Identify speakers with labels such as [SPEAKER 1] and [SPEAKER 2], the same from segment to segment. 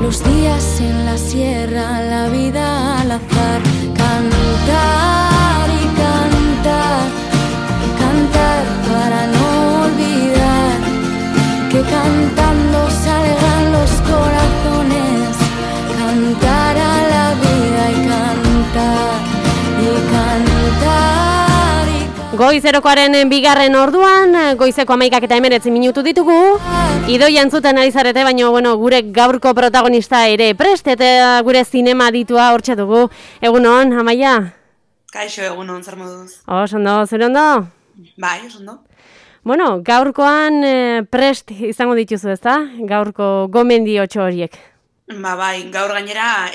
[SPEAKER 1] los días en la sierra, la vida al azar. Cantar y cantar, cantar para no olvidar que cantando salgan los corazones. Cantar a la vida y cantar y cantar y cantar.
[SPEAKER 2] Goizerokoaren bigarren orduan, goizeko 11:19 minutu ditugu. Idoia entzuten ari zarete, baina gure gaurko protagonista ere prest, eta gure zinema ditua hortxe dugu. Egunon, Amaia?
[SPEAKER 3] Kaixo, egunon, zer moduz?
[SPEAKER 2] Ondo, zure ondo?
[SPEAKER 3] Bai, ondo.
[SPEAKER 2] Bueno, gaurkoan prest izango dituzu, ezta? Gaurko gomendiotxo horiek.
[SPEAKER 3] Bai, gaur gainera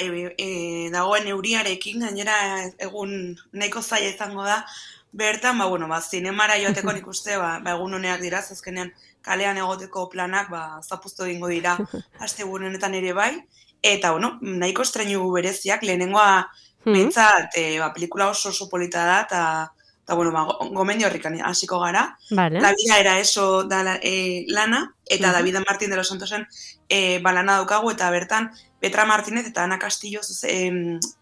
[SPEAKER 3] dagoen euriarekin, gainera egun nahiko zaila izango da. Bertan, zinemara joateko nik uste, egun honeak dira, azkenean kalean egoteko planak, zapuztu egingo dira, astegun honetan ere bai. Eta, nahiko estreinu bereziak, lehenengoa behintzat, pelikula oso polita da, eta, gomendio horrikan hasiko gara.
[SPEAKER 2] Vale.
[SPEAKER 3] La vida era eso da lana, eta David Martín de los Santosen lana daukagu, eta bertan Petra Martínez eta Ana Castillo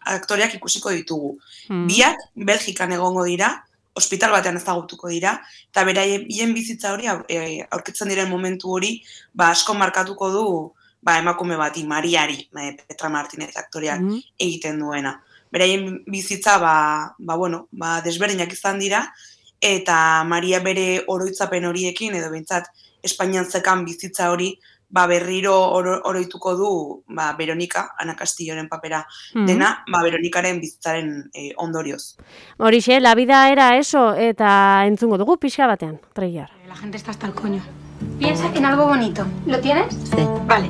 [SPEAKER 3] aktoreak ikusiko ditugu. Biak Belgikan egongo dira, ospital batean ezagutuko dira, eta beraien bizitza hori, aurkitzen diren momentu hori, asko markatuko du emakume bati, Mariari, Petra Martínez aktoreak egiten duena. Beraien bizitza, desberdinak izan dira, eta Maria bere oroitzapen horiekin, edo behintzat, Espainian zekan bizitza hori, berriro oroituko du Veronika, Ana Castilloren papera dena, Veronikaren bizitzaren ondorioz.
[SPEAKER 2] Horixe, La vida era eso, eta entzungo dugu pixka batean, trailer.
[SPEAKER 4] La gente está hasta el coño. Piensa en algo bonito. ¿Lo tienes?
[SPEAKER 5] Sí.
[SPEAKER 4] Vale.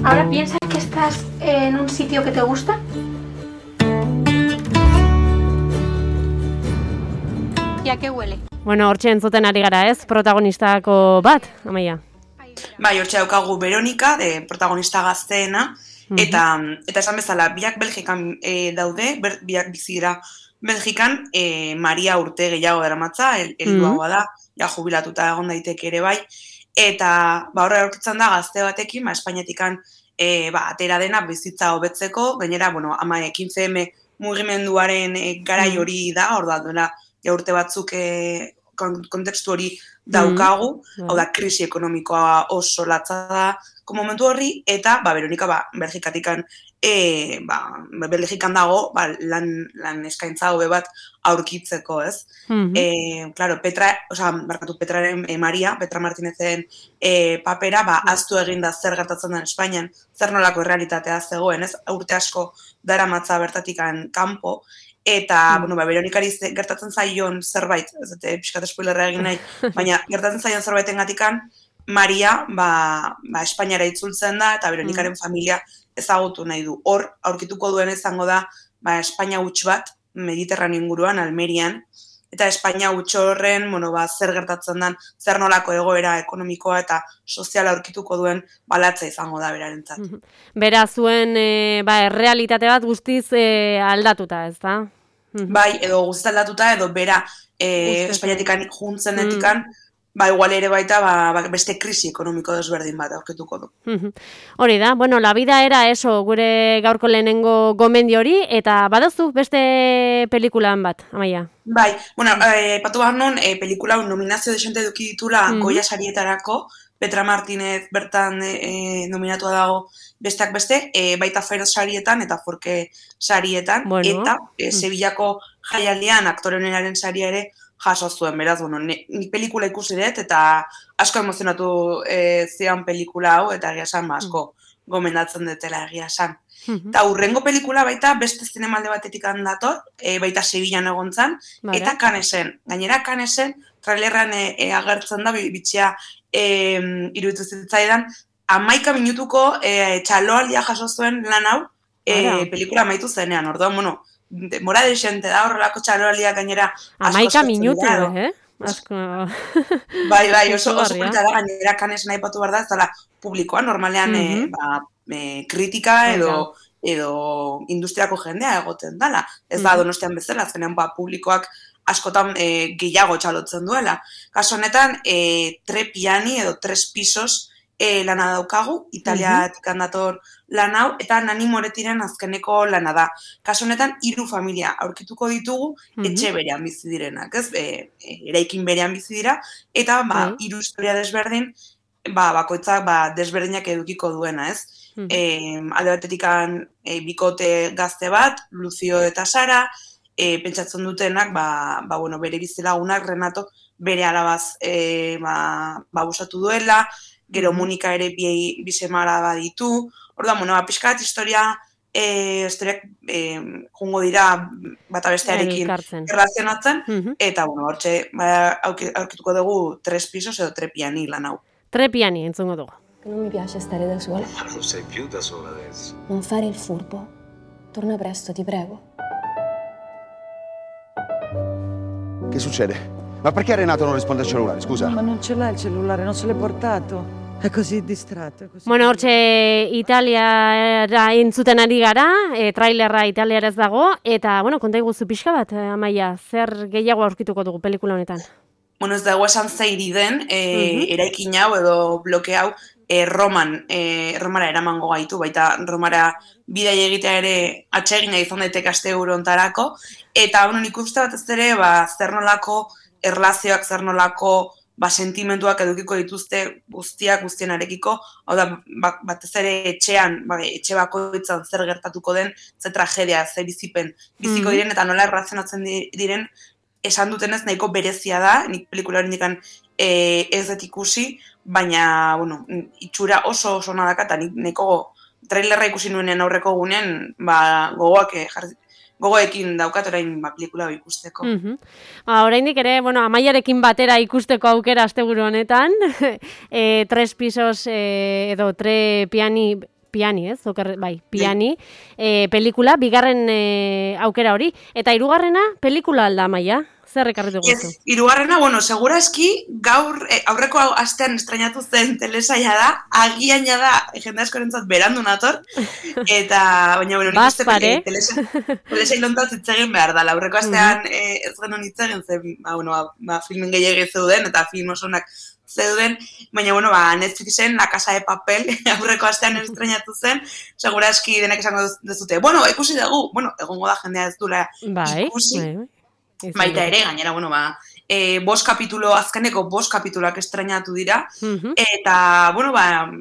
[SPEAKER 4] Ahora piensa que estás en un sitio que te gusta. ¿Y a qué huele?
[SPEAKER 2] Bueno, hortxe entzuten ari gara ez, protagonistako bat, Amaia.
[SPEAKER 3] Bai, hortxe daukagu Veronika, protagonista gazteena, eta esan bezala, biak Belgikan daude, biak bizi dira Belgikan, Maria urte gehiago daramatza, helduagoa da, ja jubilatuta egon daiteke ere bai, eta horre aurkitzen da gazte batekin, Espainiatikan atera dena bizitza hobetzeko, gainera, 15M mugimenduaren garai hori da, hor da, duela, urte batzuk kontekstu hori daukagu, hau da, krisi ekonomikoa oso latza da momentu horri, eta Veronika Belgikatikan Belgikan dago lan eskaintza hobe bat aurkitzeko, ez? Claro, Petraren Petra Martínezen papera, aztu eginda zer gertatzen den Espainian, zer nolako errealitatea zegoen, ez? Urte asko daramatza bertatikan kanpo, eta, Veronikari gertatzen zaion zerbait, ez dute, pixkat spoilerra egin nahi, baina gertatzen zaion zerbaiten gatikan, Maria, Espainiara itzultzen da, eta Veronikaren familia ezagutu nahi du. Hor, aurkituko duen izango da, Espainia huts bat, Mediterraneo inguruan, Almerian, eta Espainia huts horren, zer gertatzen den, zer nolako egoera ekonomikoa eta soziala aurkituko duen balatza izango da berarentzat.
[SPEAKER 2] Bera zuen, errealitate bat guztiz aldatuta, ez da?
[SPEAKER 3] Bai, edo guztiz aldatuta, edo bera Espainiatikan juntzenetikan, igual ere baita, beste krisi ekonomiko desberdin bat aurkituko du.
[SPEAKER 2] Hori da, La vida era eso, gure gaurko lehenengo gomendi hori, eta baduzu beste pelikulan bat, Amaia?
[SPEAKER 3] Bai, patu behar non, pelikula nominazio desente eduki ditula Goya sarietarako, Petra Martínez bertan nominatua dago besteak beste, baita Feroz sarietan eta Forke sarietan, eta Sevillako jaialdian aktore onenaren saria ere jaso zuen, beraz, nik pelikula ikusi dut, eta asko emozionatu zian pelikula hau, eta egia esan, asko gomendatzen dutela egia esan. Eta hurrengo pelikula baita beste zinemalde batetik handator, baita Sevillan egontzan, eta Canesen. Gainera Canesen, trailerran agertzen da, bitxia iruditu zitzaidan, 11 minutuko txaloaldia jaso zuen lan hau, pelikula amaitu zenean, orduan, demora desente da, horrelako txaloaldiak gainera asko
[SPEAKER 2] 11 minutu, Asko...
[SPEAKER 3] Bai, oso polita da, gainera Cannes nahi patu behar da, ez dala publikoa, normalean kritika edo industriako jendea egoten dala. Ez da Donostian bezala, azkenean publikoak askotan gehiago txalotzen duela. Kaso honetan, tre piani edo tres pisos lana daukagu, Italiatik dator lan hau, eta Nani Moretiren azkeneko lana da. Kasu honetan, 3 familia aurkituko ditugu, etxe berean bizi direnak, ez? Eraikin berean bizi dira, eta 3 historia desberdin, bakoitzak desberdinak edukiko duena, ez? Alde batetikan bikote gazte bat, Lucio eta Sara, pentsatzen dutenak, bere bizilagunak, Renato, bere alabaz abusatu duela, gero Monika ere bi semara baditu, orduan, pixkat historiak jungo dira bata bestearekin erlazionatzen, eta, hortxe, aurkituko dugu 3 pisos edo 3 piani lan hau.
[SPEAKER 2] 3 piani, entzungo dugu.
[SPEAKER 5] Non mi piace stare da sola.
[SPEAKER 6] Ma non sei più da sola adesso.
[SPEAKER 5] Non fare il furbo. Torna presto, ti prego.
[SPEAKER 7] Che succede? Ma perché Renato non risponde al cellulare, scusa?
[SPEAKER 8] Ma non ce l'ha il cellulare, non se l'è portato. È così distratto.
[SPEAKER 2] Bueno, hortxe Italiara entzuten ari gara, trailerra italiaraz dago, eta, konta iguzu pixka bat, Amaia, zer gehiago aurkituko dugu pelikula honetan?
[SPEAKER 3] Bueno, ez dago esan zeiri den, eraikin hau edo bloke hau, Romara eramango gaitu, baita Romara bidai egitea ere atsegina izan daiteke asteburu hontarako, eta nik uste bat ez ere, zer nolako erlazioak, zer nolako sentimentuak edukiko dituzte guztienarekiko, hau da, batez ere etxean, etxe bakoitzan zer gertatuko den, ze tragedia, ze bizipen biziko diren, eta nola erlazionatzen diren, esan dutenez nahiko berezia da, nik pelikula horrendikan ez dut ikusi, baina, itxura oso nadaka, eta nik nahiko trailerra ikusi nuenen aurreko gunean, gogoekin daukat orain pelikula ikusteko.
[SPEAKER 2] Oraindik ere, Amaiarekin batera ikusteko aukera asteburu honetan, 3 pisos edo 3 piani, ez? Piani, pelikula, bigarren aukera hori. Eta 3. pelikula alda, Amaia? Zer ekarritu guzu?
[SPEAKER 3] Ez, 3. Segurazki, gaur aurreko astean estrainatu zen telesaila da, agian da, jende askorentzat berandu nator, eta, baina, nik uste telesaila ontaz itzegin behar da, aurreko astean ez genuen itzegin zen, filmen gehiagik zeuden, eta film osonak zeuden, baina, Netflixen La Casa de Papel aurreko astean estrainatu zen, segurazki denek esango dezute, ikusi dugu, egongo da jendea ez dula ikusi, baita ere, gainera, azkeneko 5 kapituluak estrainatu dira, eta,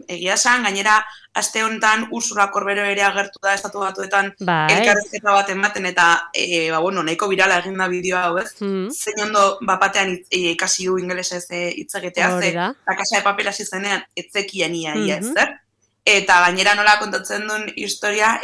[SPEAKER 3] egia esan, gainera, aste honetan Ursula Corbero ere agertu da Estatu Batuetan elkarrizketa bat ematen, eta, nahiko birala egin da bideoa hau, ez? Zein ondo, batean ikasi du ingelesez hitz egitea, La Casa de Papel hasi zenean, etzekien ia, zer? Eta gainera nola kontatzen duen historia,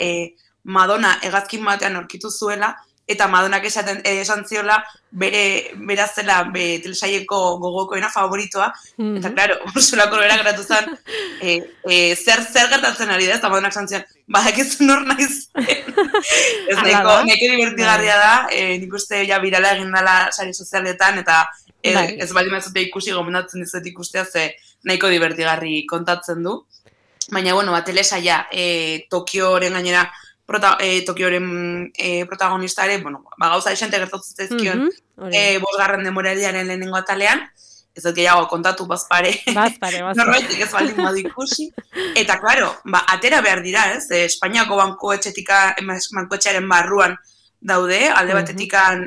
[SPEAKER 3] Madonna hegazkin batean aurkitu zuela, eta Madonak esan ziola bera zela telesaileko gogokoena favoritoa, eta, klaro, Ursula Corbera geratu zen, zer gertatzen ari da, eta Madonak esan zion, ekizu nor naiz. Ez nahiko divertigarria da, nik uste birala egin dela sare sozialetan, eta ez baldin mazute ikusi gomendatzen dizut ikustea, ze nahiko divertigarri kontatzen du. Baina, telesaila Tokioren gainera, Tokioren protagonista ere, gauza esente gertatzen zaizkion 5. denboraldiaren lehenengo atalean, ez dut gehiago kontatu bazpare. Norbaitik ez baldin badu ikusi. Eta, klaro, atera behar dira, ez? Espainiako bankuetxearen barruan daude, alde batetikan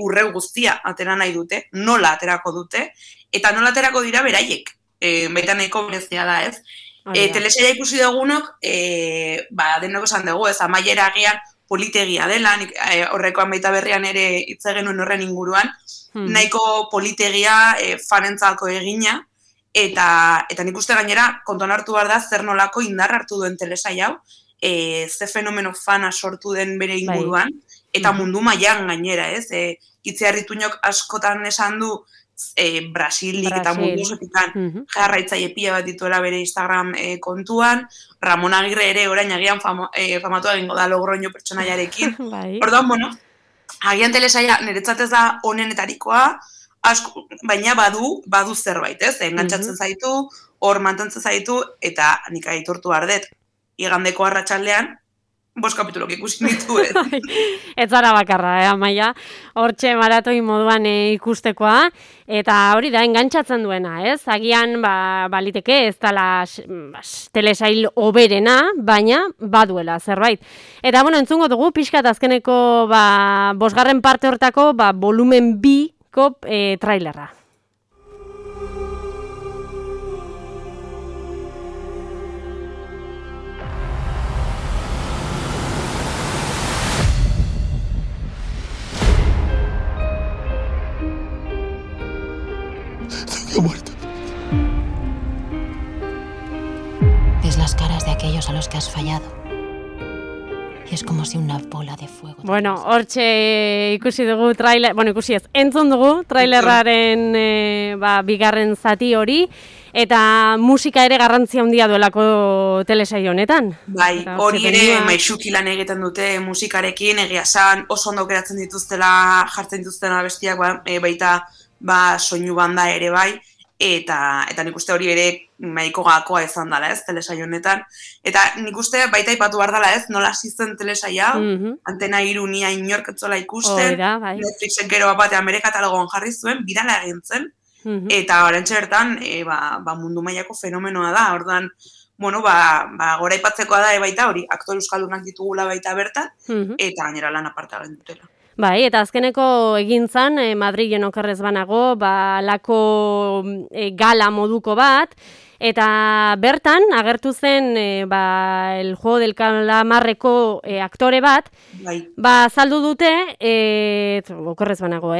[SPEAKER 3] urreu guztia atera nahi dute, nola aterako dute, eta nola aterako dira beraiek. Baita nahiko berezia da, ez? Telesaila ikusi dugunok, denok esan dugu, ez, Amaiera agian politegia dela, horrekoan baita berrian ere hitz egin nuen horren inguruan, nahiko politegia fanentzako egina, eta nik uste gainera kontuan hartu behar da zer nolako indar hartu duen telesaila hau, ze fenomeno fana sortu den bere inguruan, eta mundu mailan gainera, ez, Itziarrituñok askotan esan du, Brasilik eta mundu osotikan jarraitzaile pila bat dituela bere Instagram kontuan, Ramon Agirre ere orain agian famatu egingo da Logroño pertsonaiarekin. Orduan, agian telesaila niretzat ez da onenetarikoa, baina badu zerbait, ez? Engantzatzen zaitu, hor mantentzen zaitu, eta nik aitortu behar dut, igandeko arratsaldean, 5 kapitulok ikusi nituen.
[SPEAKER 2] Ez zara bakarra, Amaia, hortxe maratoi moduan ikustekoa, eta hori da, engantzatzen duena, ez? Agian, baliteke, ez dala telesail oberena, baina baduela zerbait. Eta, bueno, entzungo dugu, pixkat azkeneko 5. parte hortako, volumen 2ko trailerra.
[SPEAKER 7] Muerto.
[SPEAKER 9] Ves las caras de aquellos a los que has fallado. Y es como si una bola de fuego...
[SPEAKER 2] Bueno, hortxe ikusi dugu trailer, ikusi ez, entzun dugu trailerraren bigarren zati hori, eta musika ere garrantzia handia duelako telesail honetan.
[SPEAKER 3] Bai, hori ere maixuki lan egiten dute musikarekin, egia esan oso ondo geratzen dituztela, jartzen dituztela bestiak, baita soinu banda ere bai, eta nik uste hori ere nahiko gakoa izan dela, ez, telesail honetan. Eta nik uste baita ipatu behar dela, ez, nola hasi zen telesaila, Antena 3 nia inork etzola ikusten, Netflixek gero batean bere katalogoan jarri zuen, birala egin zen, eta orantxe bertan, mundu mailako fenomenoa da, orduan, gora ipatzekoa da baita hori, aktore euskaldunak ditugula baita bertan, eta gainera lan aparta dutela.
[SPEAKER 2] Bai, eta azkeneko egintzan, Madrilen okerrez banago, lako gala moduko bat, eta bertan agertu zen El Juego del Calamarreko aktore bat, saldu dute, okerrez banago,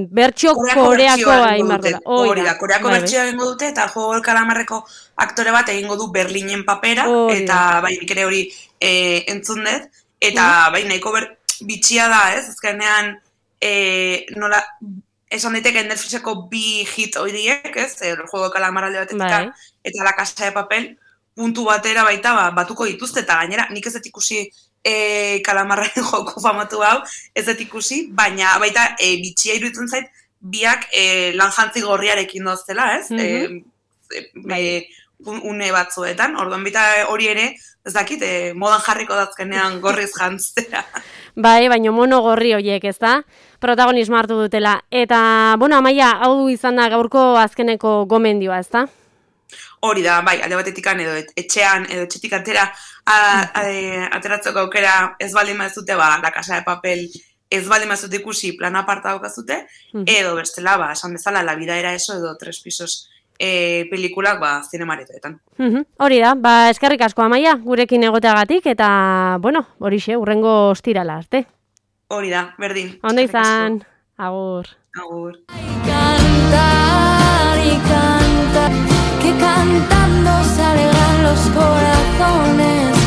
[SPEAKER 2] bertxo koreakoa inbardola.
[SPEAKER 3] Hori da, koreako bertxioa egingo dute, eta El Juego del Calamarreko aktore bat egingo du Berlinen papera, eta nik ere hori entzun dut, eta nahiko bitxia da, ez? Azkenean, nola, esan daiteke Netflixeko 2 hit horiek, ez? El Juego de Calamar alde batetik, eta La Casa de Papel, puntu batera baita batuko dituzte, eta gainera, nik ez dut ikusi Kalamarren joko famatu hau, ez dut ikusi, baina baita bitxia iruditzen zait, biak lan jantzi gorriarekin doztela, ez? Une batzuetan, orduan bita hori ere, ez dakit, modan jarriko dazkenean gorriz jantzera.
[SPEAKER 2] Bai, baina mono gorri horiek, ez da? Protagonismo hartu dutela. Eta, Amaia, hau izan da gaurko azkeneko gomendioa, ez da?
[SPEAKER 3] Hori da, bai, alde batetikan edo etxean, edo etxetik ateratzeko aukera ez baldin mazute, La Casa de Papel ez baldin mazute ikusi plan aparta daukazute, edo bestela, esan bezala, La Vida era eso, edo 3 pisos pelikulak zinemaretoetan.
[SPEAKER 2] Hori da, eskerrik asko Amaia, gurekin egoteagatik, eta, horixe, hurrengo ostirala arte.
[SPEAKER 3] Hori da, berdin.
[SPEAKER 2] Ondo izan, agur.
[SPEAKER 3] Agur.
[SPEAKER 1] Cantar y cantar, que cantando se alegran los corazones.